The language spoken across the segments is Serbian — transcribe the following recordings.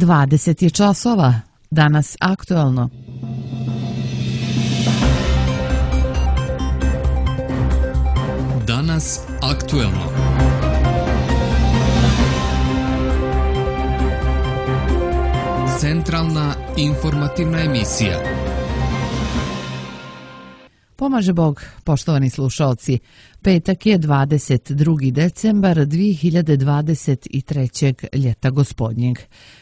20 je časova, danas aktuelno. Danas aktuelno. Centralna informativna emisija. Pomaže Bog, poštovani slušalci. Petak je 22. decembar 2023. ljeta gospodnjeg.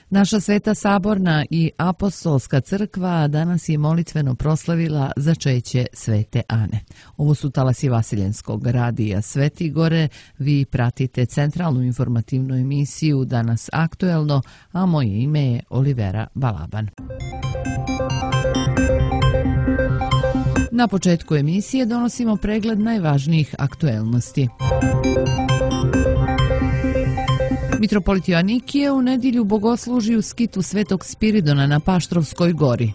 Naša Sveta Saborna i Apostolska crkva danas je molitveno proslavila začeće Svete Ane. Ovo su talasi Vasiljenskog radija Sveti Gore. Vi pratite centralnu informativnu emisiju Danas aktuelno, a moje ime je Olivera Balaban. Na početku emisije donosimo pregled najvažnijih aktuelnosti. Mitropolit Joanikije u nedjelju bogosluži u skitu Svetog Spiridona na Paštrovskoj gori.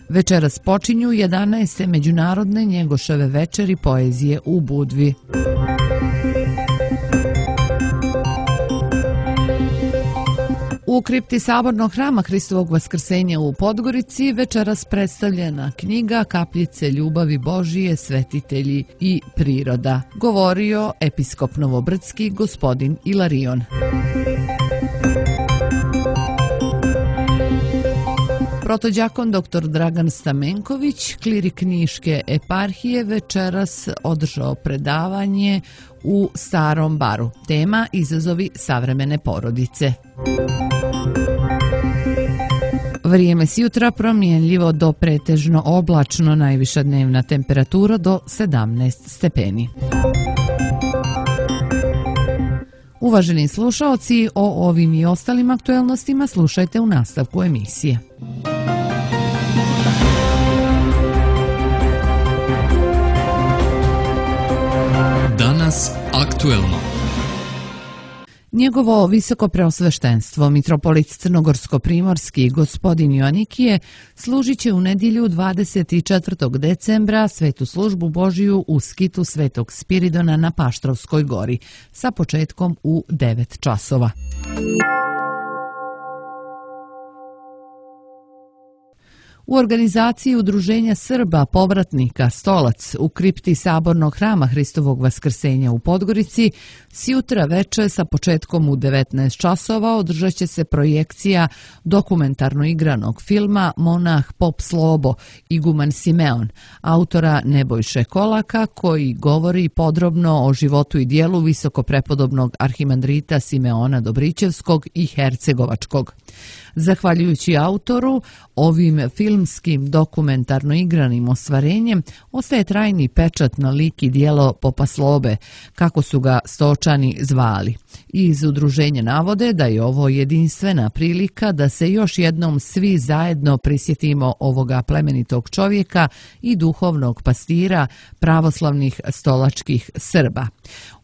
Večeras počinju 11. međunarodne Njegoševe večeri poezije u Budvi. U kripti Sabornog hrama Hristovog Vaskrsenja u Podgorici večeras predstavljena knjiga Kapljice ljubavi Božije, svetitelji i priroda, govorio episkop Novobrdski gospodin Ilarion. Protođakon dr. Dragan Stamenković, klirik Niške eparhije, večeras održao predavanje u Starom baru. Tema izazovi savremene porodice. Vrijeme s jutra promjenljivo do pretežno oblačno, najviša dnevna temperatura do 17 stepeni. Uvaženi slušaoci, o ovim i ostalim aktuelnostima slušajte u nastavku emisije. Danas aktuelno. Njegovo visoko preosveštenstvo, mitropolit Crnogorsko-primorski gospodin Joanikije, služit će u nedjelju 24. decembra svetu službu Božiju u skitu Svetog Spiridona na Paštrovskoj gori sa početkom u 9 časova. U organizaciji Udruženja Srba povratnika Stolac u kripti Sabornog hrama Hristovog Vaskrsenja u Podgorici sjutra veče sa početkom u 19 časova održat će se projekcija dokumentarno igranog filma Monah pop Slobo, iguman Simeon, autora Nebojše Kolaka, koji govori podrobno o životu i dijelu visokoprepodobnog arhimandrita Simeona Dobrićevskog i Hercegovačkog. Zahvaljujući autoru, ovim filmskim dokumentarno igranim ostvarenjem ostaje trajni pečat na lik i dijelo popa Slobe, kako su ga Stočani zvali. Iz udruženja navode da je ovo jedinstvena prilika da se još jednom svi zajedno prisjetimo ovoga plemenitog čovjeka i duhovnog pastira pravoslavnih stolačkih Srba.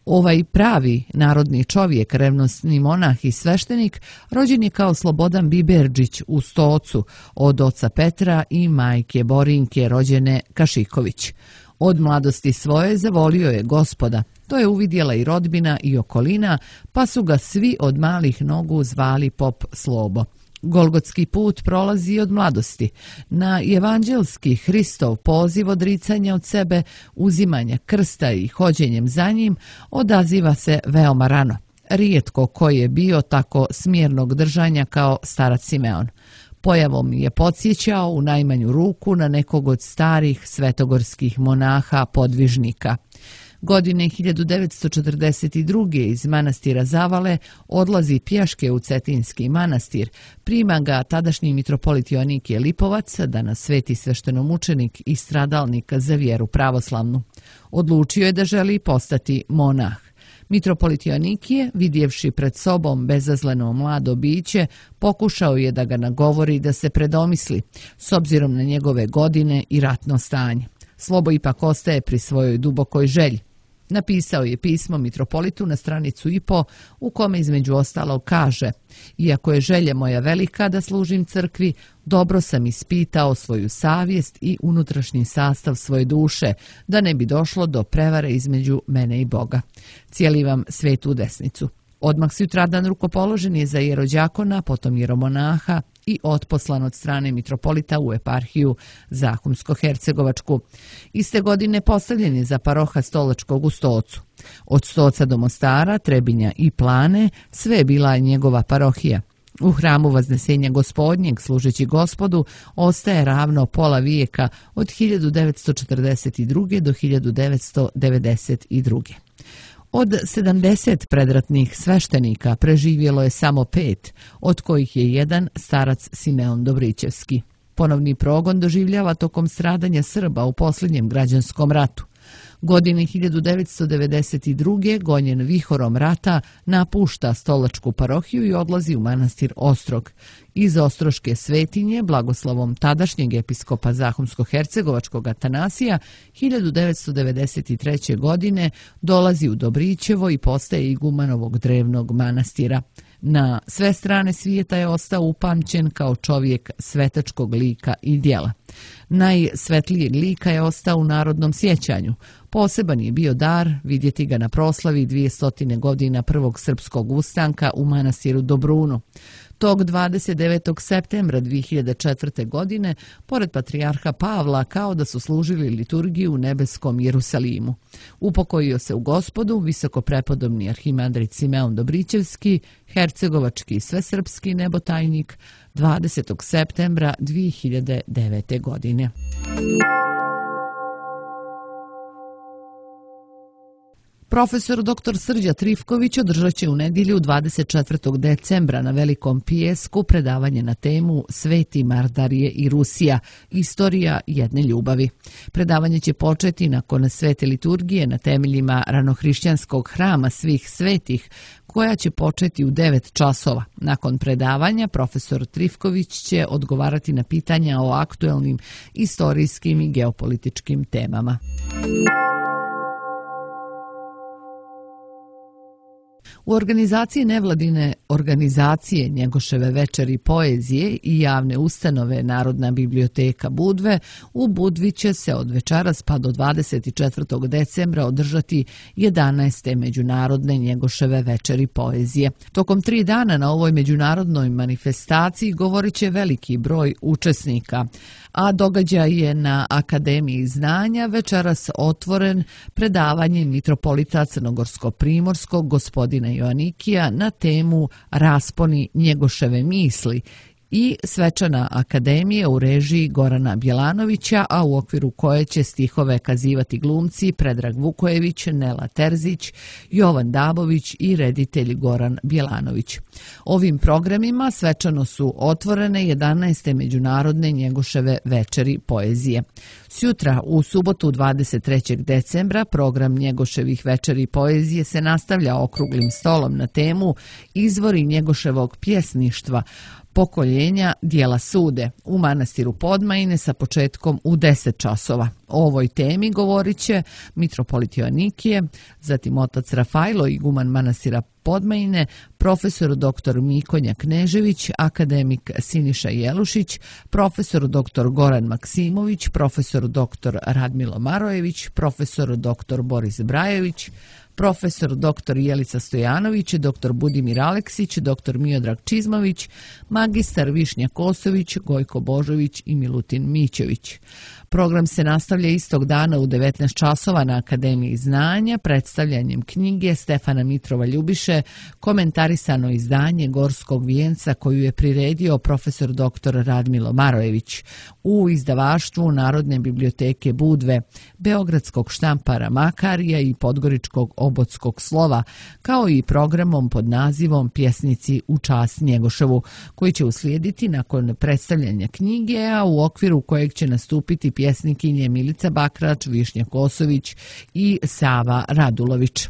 Ovaj pravi narodni čovjek, revnosni monah i sveštenik, rođen je kao Slobodan Biberđić u Stocu od oca Petra i majke Borinke rođene Kašiković. Od mladosti svoje zavolio je Gospoda. To je uvidjela i rodbina i okolina, pa su ga svi od malih nogu zvali pop Slobo. Golgotski put prolazi od mladosti. Na evanđelski Hristov poziv odricanja od sebe, uzimanja krsta i hođenjem za njim odaziva se veoma rano. Rijetko koji je bio tako smjernog držanja kao starac Simeon. Pojavom je podsjećao u najmanju ruku na nekog od starih svetogorskih monaha podvižnika. Godine 1942. iz manastira Zavale odlazi pješke u Cetinski manastir. Prima ga tadašnji mitropolit Joanikije Lipovac, danas sveti sveštenomučenik i stradalnik za vjeru pravoslavnu. Odlučio je da želi postati monah. Mitropolit Joanikije, vidjevši pred sobom bezazleno mlado biće, pokušao je da ga nagovori da se predomisli, s obzirom na njegove godine i ratno stanje. Slobo ipak ostaje pri svojoj dubokoj želji. Napisao je pismo mitropolitu na stranicu i.po u kome između ostalog kaže: "Iako je želja moja velika da služim crkvi, dobro sam ispitao svoju savjest i unutrašnji sastav svoje duše, da ne bi došlo do prevare između mene i Boga. Cijeli vam svetu desnicu." Odmah sutradan rukopoložen je za jerođakona, potom jeromonaha i otposlan od strane mitropolita u eparhiju Zahumsko-Hercegovačku. Iste godine postavljen je za paroha Stolačkog u Stocu. Od Stoca do Mostara, Trebinja i Plane sve je bila njegova parohija. U hramu Vaznesenja Gospodnjeg, služeći Gospodu, ostaje ravno pola vijeka od 1942. do 1992. Od 70 predratnih sveštenika preživjelo je samo 5, od kojih je jedan starac Simeon Dobrićevski. Ponovni progon doživljava tokom stradanja Srba u posljednjem građanskom ratu. Godine 1992. gonjen vihorom rata napušta Stolačku parohiju i odlazi u manastir Ostrog. Iz Ostroške svetinje, blagoslovom tadašnjeg episkopa Zahumsko-Hercegovačkog Atanasija, 1993. godine dolazi u Dobrićevo i postaje iguman ovog drevnog manastira. Na sve strane svijeta je ostao upamćen kao čovjek svetačkog lika i djela. Najsvetlijeg lika je ostao u narodnom sjećanju. Poseban je bio dar vidjeti ga na proslavi 200 godina prvog srpskog ustanka u manastiru Dobrunu. Tog 29. septembra 2004. godine, pored patrijarha Pavla, kao da su služili liturgiju u nebeskom Jerusalimu. Upokojio se u Gospodu visokoprepodobni arhimandrit Simeon Dobrićevski, hercegovački svesrpski nebotajnik, 20. septembra 2009. godine. Profesor dr. Srđa Trifković održat će u nedjelju 24. decembra na Velikom pijesku predavanje na temu Sveti Mardarije i Rusija, istorija jedne ljubavi. Predavanje će početi nakon svete liturgije na temeljima ranohrišćanskog hrama svih svetih, koja će početi u 9 časova. Nakon predavanja profesor Trifković će odgovarati na pitanja o aktuelnim istorijskim i geopolitičkim temama. U organizaciji nevladine organizacije Njegoševe večeri poezije i javne ustanove Narodna biblioteka Budve u Budvi će se od večeras pa do 24. decembra održati 11. međunarodne Njegoševe večeri poezije. Tokom 3 dana na ovoj međunarodnoj manifestaciji govorit će veliki broj učesnika, a događaj je na Akademiji znanja večeras otvoren predavanjem mitropolita Crnogorsko-primorskog gospodina Joanikija na temu Rasponi Njegoševe misli i svečana akademija u režiji Gorana Bjelanovića, a u okviru koje će stihove kazivati glumci Predrag Vukojević, Nela Terzić, Jovan Dabović i reditelj Goran Bjelanović. Ovim programima svečano su otvorene 11. međunarodne Njegoševe večeri poezije. Sutra, u subotu 23. decembra, program Njegoševih večeri poezije se nastavlja okruglim stolom na temu Izvori Njegoševog pjesništva, pokoljenja dijela sude u manastiru Podmajine sa početkom u 10 časova. O ovoj temi govorit će mitropolit Joanikije, zatim otac Rafajlo, iguman manastira Podmajine, profesor dr. Mikonja Knežević, akademik Siniša Jelušić, profesor dr. Goran Maksimović, profesor dr. Radmilo Marojević, profesor dr. Boris Brajević, profesor dr. Jelica Stojanović, dr. Budimir Aleksić, dr. Miodrag Čizmović, magistar Višnja Kosović, Gojko Božović i Milutin Mićević. Program se nastavlja istog dana u 19 časova na Akademiji znanja predstavljanjem knjige Stefana Mitrova Ljubiše Komentarisano izdanje Gorskog vijenca koju je priredio profesor dr. Radmilo Marojević u izdavaštvu Narodne biblioteke Budve, Beogradskog štampara Makarija i Podgoričkog obotskog slova, kao i programom pod nazivom Pjesnici u čast Njegoševu, koji će uslijediti nakon predstavljanja knjige, a u okviru kojeg će nastupiti pjesnikinje Milica Bakrač, Višnja Kosović i Sava Radulović.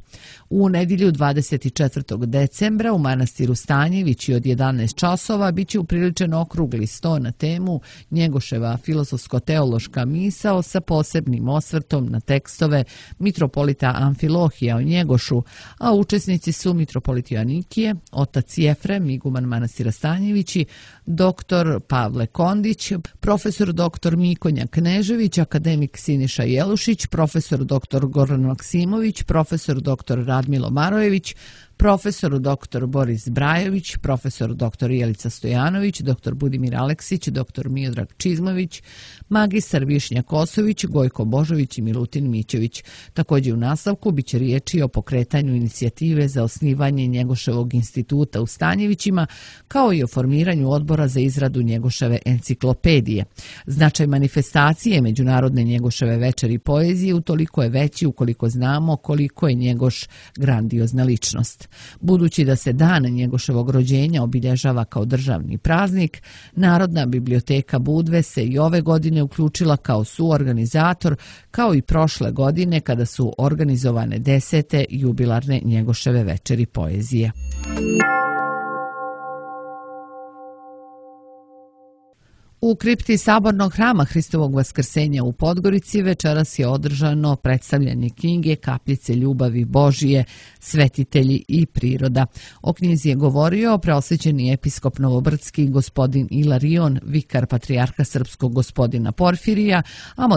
U nedjelju 24. decembra u manastiru Stanjevići od 11 časova biće upriličen okrugli sto na temu Njegoševa filozofsko-teološka misao sa posebnim osvrtom na tekstove mitropolita Amfilohija o Njegošu, a učesnici su mitropolit Joanikije, otac Jefrem, iguman manastira Stanjevići, dr. Pavle Kondić, profesor dr. Mikonja Knežević, akademik Siniša Jelušić, profesor dr. Goran Maksimović, profesor dr. Radmilo Marojević, profesor dr. Boris Brajović, profesor dr. Jelica Stojanović, dr. Budimir Aleksić, dr. Miodrag Čizmović, magistar Višnja Kosović, Gojko Božović i Milutin Mićević. Također u nastavku biće riječi o pokretanju inicijative za osnivanje Njegoševog instituta u Stanjevićima, kao i o formiranju odbora za izradu Njegoševe enciklopedije. Značaj manifestacije Međunarodne Njegoševe večeri poezije utoliko je veći ukoliko znamo koliko je Njegoš grandiozna ličnost. Budući da se dan Njegoševog rođenja obilježava kao državni praznik, Narodna biblioteka Budve se i ove godine uključila kao suorganizator, kao i prošle godine kada su organizovane 10. jubilarne Njegoševe večeri poezije. U kripti Sabornog hrama Hristovog vaskrsenja u Podgorici večeras je održano predstavljanje knjige Kapljice ljubavi Božije, svetitelji i priroda. O knjizi je govorio preosvećeni episkop Novobrdski gospodin Ilarion, vikar patrijarha srpskog gospodina Porfirija, a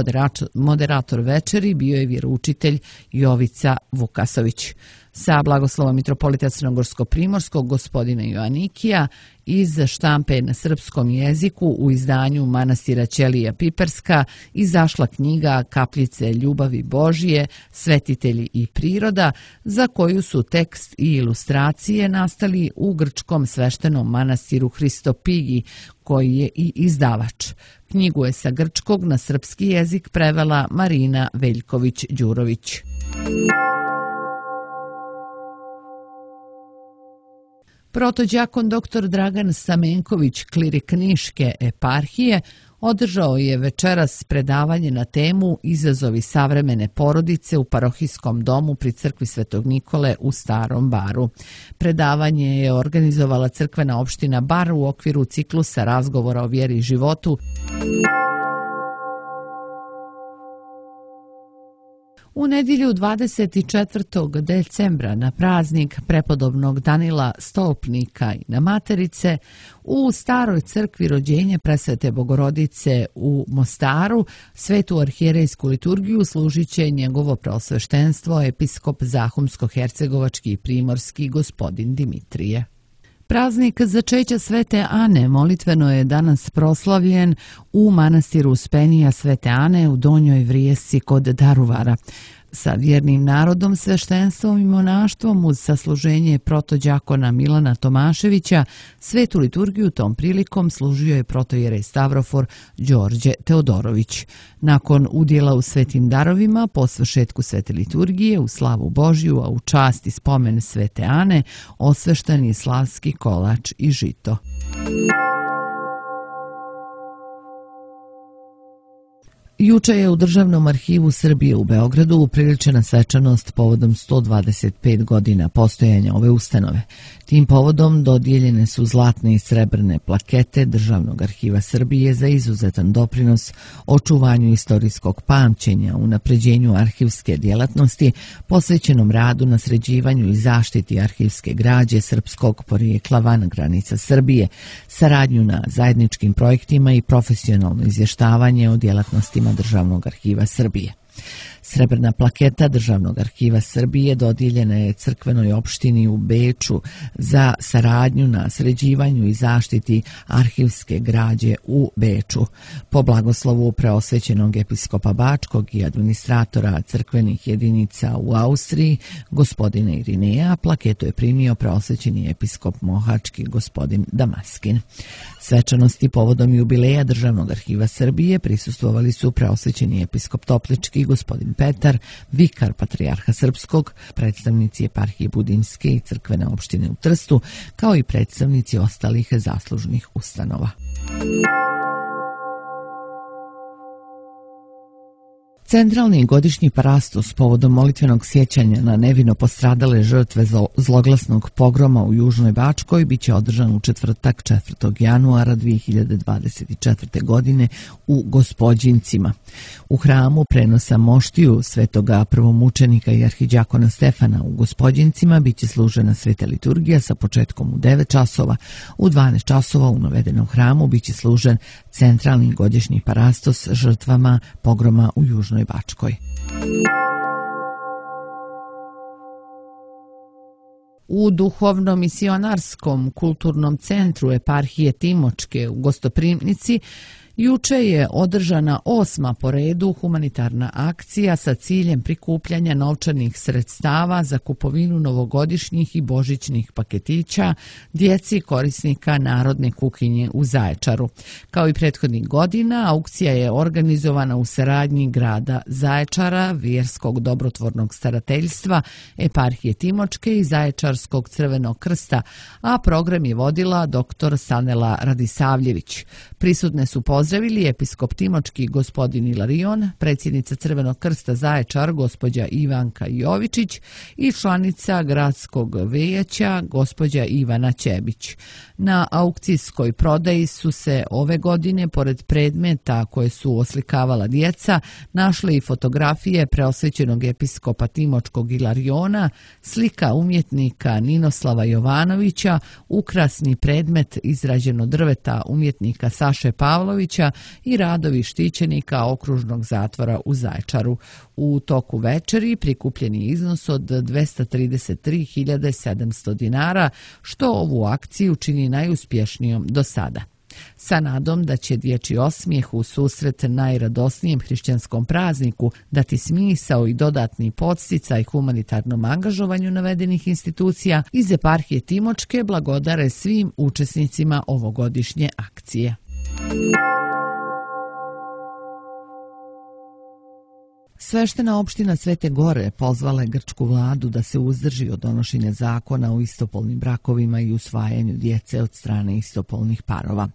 moderator večeri bio je vjeroučitelj Jovica Vukasović. Sa blagoslovom mitropolita Crnogorsko-primorskog gospodina Joanikija iz štampe na srpskom jeziku u izdanju manastira Ćelija Piperska izašla knjiga Kapljice ljubavi Božije, svetitelji i priroda, za koju su tekst i ilustracije nastali u grčkom sveštenom manastiru Hristopigi, koji je i izdavač. Knjigu je sa grčkog na srpski jezik prevela Marina Veljković-Đurović. Protođakon dr. Dragan Stamenković, klirik Niške eparhije, održao je večeras predavanje na temu Izazovi savremene porodice u parohijskom domu pri crkvi Svetog Nikole u Starom Baru. Predavanje je organizovala crkvena opština Bar u okviru ciklusa razgovora o vjeri i životu. U nedjelju 24. decembra na praznik prepodobnog Danila Stolpnika i na Materice u staroj crkvi rođenja Presvete Bogorodice u Mostaru svetu arhijerejsku liturgiju služit će njegovo preosveštenstvo episkop Zahumsko-hercegovački i primorski gospodin Dimitrije. Praznik začeća Svete Ane molitveno je danas proslavljen u manastiru Uspenija Svete Ane u Donjoj Vrijesci kod Daruvara. Sa vjernim narodom, sveštenstvom i monaštvom uz sasluženje protođakona Milana Tomaševića, svetu liturgiju tom prilikom služio je protojerej Stavrofor Đorđe Teodorović. Nakon udjela u svetim darovima, po svršetku svete liturgije, u slavu Božju, a u čast i spomen Svete Ane, osvešten je slavski kolač i žito. Juče je u Državnom arhivu Srbije u Beogradu upriličena svečanost povodom 125 godina postojanja ove ustanove. Tim povodom dodijeljene su zlatne i srebrne plakete Državnog arhiva Srbije za izuzetan doprinos očuvanju istorijskog pamćenja, unapređenju arhivske djelatnosti, posvećenom radu na sređivanju i zaštiti arhivske građe srpskog porijekla van granica Srbije, saradnju na zajedničkim projektima i profesionalno izvještavanje o djelatnostima Državnog arhiva Srbije. Srebrna plaketa Državnog arhiva Srbije dodijeljena je crkvenoj opštini u Beču za saradnju na sređivanju i zaštiti arhivske građe u Beču. Po blagoslovu preosvećenog episkopa Bačkog i administratora crkvenih jedinica u Austriji, gospodina Irineja, plaketu je primio preosvećeni episkop Mohački gospodin Damaskin. Svečanosti povodom jubileja Državnog arhiva Srbije prisustvovali su preosvećeni episkop Toplički gospodin Petar, vikar patrijarha srpskog, predstavnici eparhije Budimske i crkvene opštine u Trstu, kao i predstavnici ostalih zaslužnih ustanova. Centralni godišnji parastos povodom molitvenog sjećanja na nevino postradale žrtve zloglasnog pogroma u Južnoj Bačkoj biće održan u četvrtak 4. januara 2024. godine u Gospođincima. U hramu prenosa moštiju svetoga prvomučenika i arhidjakona Stefana u Gospođincima biće služena sveta liturgija sa početkom u 9 časova. U 12 časova u navedenom hramu biće služen centralni godišnji parastos žrtvama pogroma u Južnoj Bačkoj. U duhovno-misionarskom kulturnom centru eparhije Timočke u Gostoprimnici juče je održana 8. po redu humanitarna akcija sa ciljem prikupljanja novčanih sredstava za kupovinu novogodišnjih i božićnih paketića djeci korisnika Narodne kuhinje u Zaječaru. Kao i prethodnih godina, aukcija je organizovana u saradnji grada Zaječara, Vjerskog dobrotvornog starateljstva, eparhije Timočke i Zaječarskog crvenog krsta, a program je vodila dr. Sanela Radisavljević. Prisutne su pozdravili episkop Timočki gospodin Ilarion, predsjednica Crvenog krsta Zaječar gospođa Ivanka Jovičić i članica gradskog vejaća gospođa Ivana Ćebić. Na aukcijskoj prodaji su se ove godine, pored predmeta koje su oslikavala djeca, našle i fotografije preosvećenog episkopa Timočkog Ilariona, slika umjetnika Ninoslava Jovanovića, ukrasni predmet izrađen od drveta umjetnika Saše Pavlovića i radovi štićenika okružnog zatvora u Zaječaru. U toku večeri prikupljeni iznos od 233.700 dinara, što ovu akciju čini najuspješnijom do sada. Sa nadom da će dječji osmijeh u susret najradosnijem hrišćanskom prazniku dati smisao i dodatni podsticaj humanitarnom angažovanju navedenih institucija, iz eparhije Timočke blagodare svim učesnicima ovogodišnje akcije. Sveštena opština Svete Gore pozvala je grčku vladu da se uzdrži od donošenja zakona o istopolnim brakovima i usvajanju djece od strane istopolnih parova.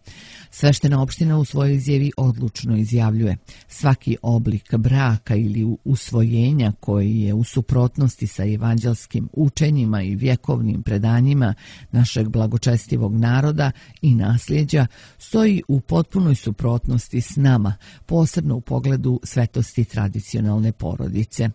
Sveštena opština u svojoj izjavi odlučno izjavljuje: svaki oblik braka ili usvojenja koji je u suprotnosti sa evanđelskim učenjima i vjekovnim predanjima našeg blagočestivog naroda i nasljeđa stoji u potpunoj suprotnosti s nama, posebno u pogledu svetosti tradicionalne porodice.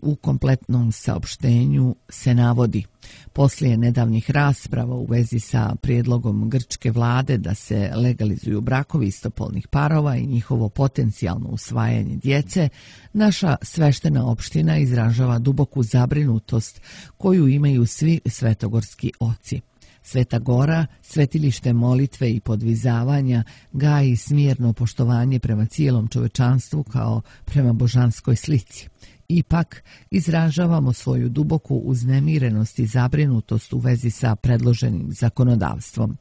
U kompletnom saopštenju se navodi: poslije nedavnih rasprava u vezi sa prijedlogom grčke vlade da se legalizuju brakovi istopolnih parova i njihovo potencijalno usvajanje djece, naša sveštena opština izražava duboku zabrinutost koju imaju svi svetogorski oci. Sveta Gora, svetilište molitve i podvizavanja, gaji smjerno poštovanje prema cijelom čovečanstvu kao prema božanskoj slici. Ipak, izražavamo svoju duboku uznemirenost i zabrinutost u vezi sa predloženim zakonodavstvom.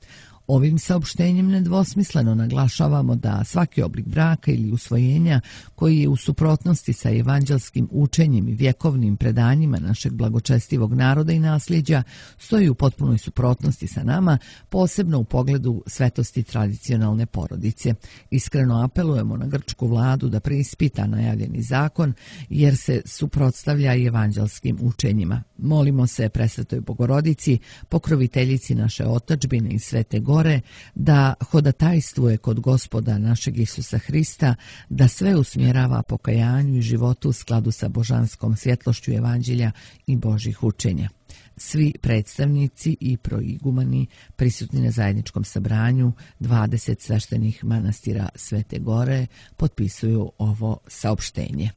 Ovim saopštenjem nedvosmisleno naglašavamo da svaki oblik braka ili usvojenja koji je u suprotnosti sa evanđelskim učenjem i vjekovnim predanjima našeg blagočestivog naroda i nasljeđa stoji u potpunoj suprotnosti sa nama, posebno u pogledu svetosti tradicionalne porodice. Iskreno apelujemo na grčku vladu da preispita najavljeni zakon jer se suprotstavlja i evanđelskim učenjima. Molimo se Presvetoj Bogorodici, pokroviteljici naše otadžbine i Svete Gore, da hodatajstvuje kod Gospoda našeg Isusa Hrista, da sve usmjerava pokajanju i životu u skladu sa božanskom svjetlošću evanđelja i Božjih učenja. Svi predstavnici i proigumani prisutni na zajedničkom sabranju 20 sveštenih manastira Svete Gore potpisuju ovo saopštenje.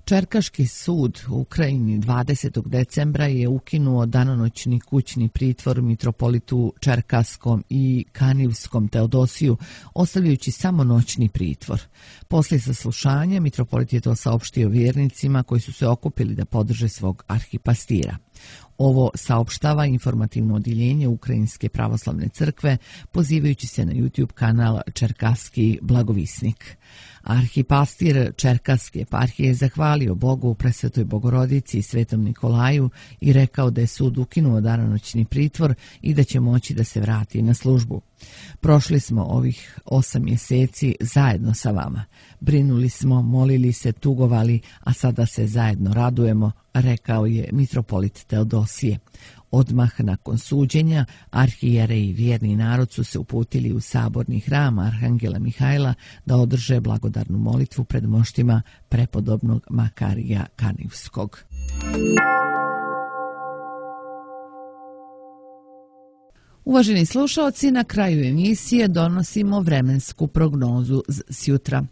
Čerkaški sud u Ukrajini 20. decembra je ukinuo danonoćni kućni pritvor mitropolitu Čerkaskom i Kanivskom Teodosiju, ostavljajući samo noćni pritvor. Poslije saslušanja mitropolit je to saopštio vjernicima koji su se okupili da podrže svog arhipastira. Ovo saopštava informativno odjeljenje Ukrajinske pravoslavne crkve, pozivajući se na YouTube kanal Čerkaski blagovisnik. Arhipastir Čerkaske eparhije je zahvalio Bogu, Presvetoj Bogorodici i Svetom Nikolaju i rekao da je sud ukinuo danonoćni pritvor i da će moći da se vrati na službu. Prošli smo ovih 8 mjeseci zajedno sa vama. Brinuli smo, molili se, tugovali, a sada se zajedno radujemo, rekao je mitropolit Teodosije. Odmah nakon suđenja, arhijere i vjerni narod su se uputili u saborni hram Arhangela Mihajla da održe blagodarnu molitvu pred moštima prepodobnog Makarija Kanivskog. Uvaženi slušaoci, na kraju emisije donosimo vremensku prognozu s jutra.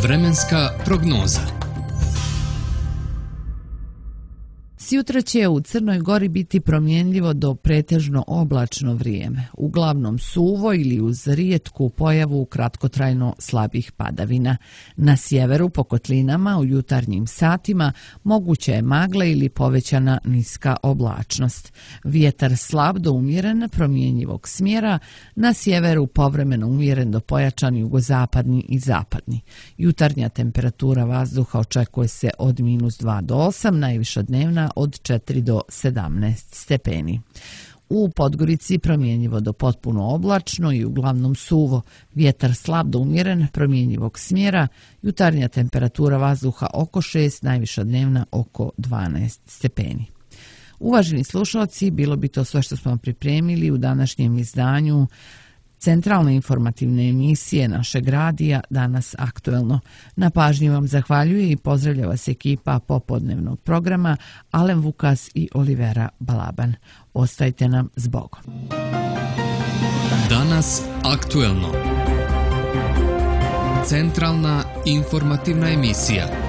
Vremenska prognoza. Sjutra će u Crnoj Gori biti promjenljivo do pretežno oblačno vrijeme, uglavnom suvo ili uz rijetku pojavu kratkotrajno slabih padavina. Na sjeveru po kotlinama u jutarnjim satima moguće je magla ili povećana niska oblačnost. Vjetar slab do umjeren promjenjivog smjera, na sjeveru povremeno umjeren do pojačan jugozapadni i zapadni. Jutarnja temperatura vazduha očekuje se od -2 do 8, najviša dnevna od 4 do 17 stepeni. U Podgorici promjenjivo do potpuno oblačno i uglavnom suvo, vjetar slab do umjeren promjenjivog smjera, jutarnja temperatura vazduha oko 6, najviša dnevna oko 12 stepeni. Uvaženi slušalci, bilo bi to sve što smo vam pripremili u današnjem izdanju centralne informativne emisije našeg radija Danas aktuelno. Na pažnji vam zahvaljuje i pozdravlja vas ekipa popodnevnog programa Alen Vukas i Olivera Balaban. Ostajte nam s Bogom. Danas aktuelno. Centralna informativna emisija.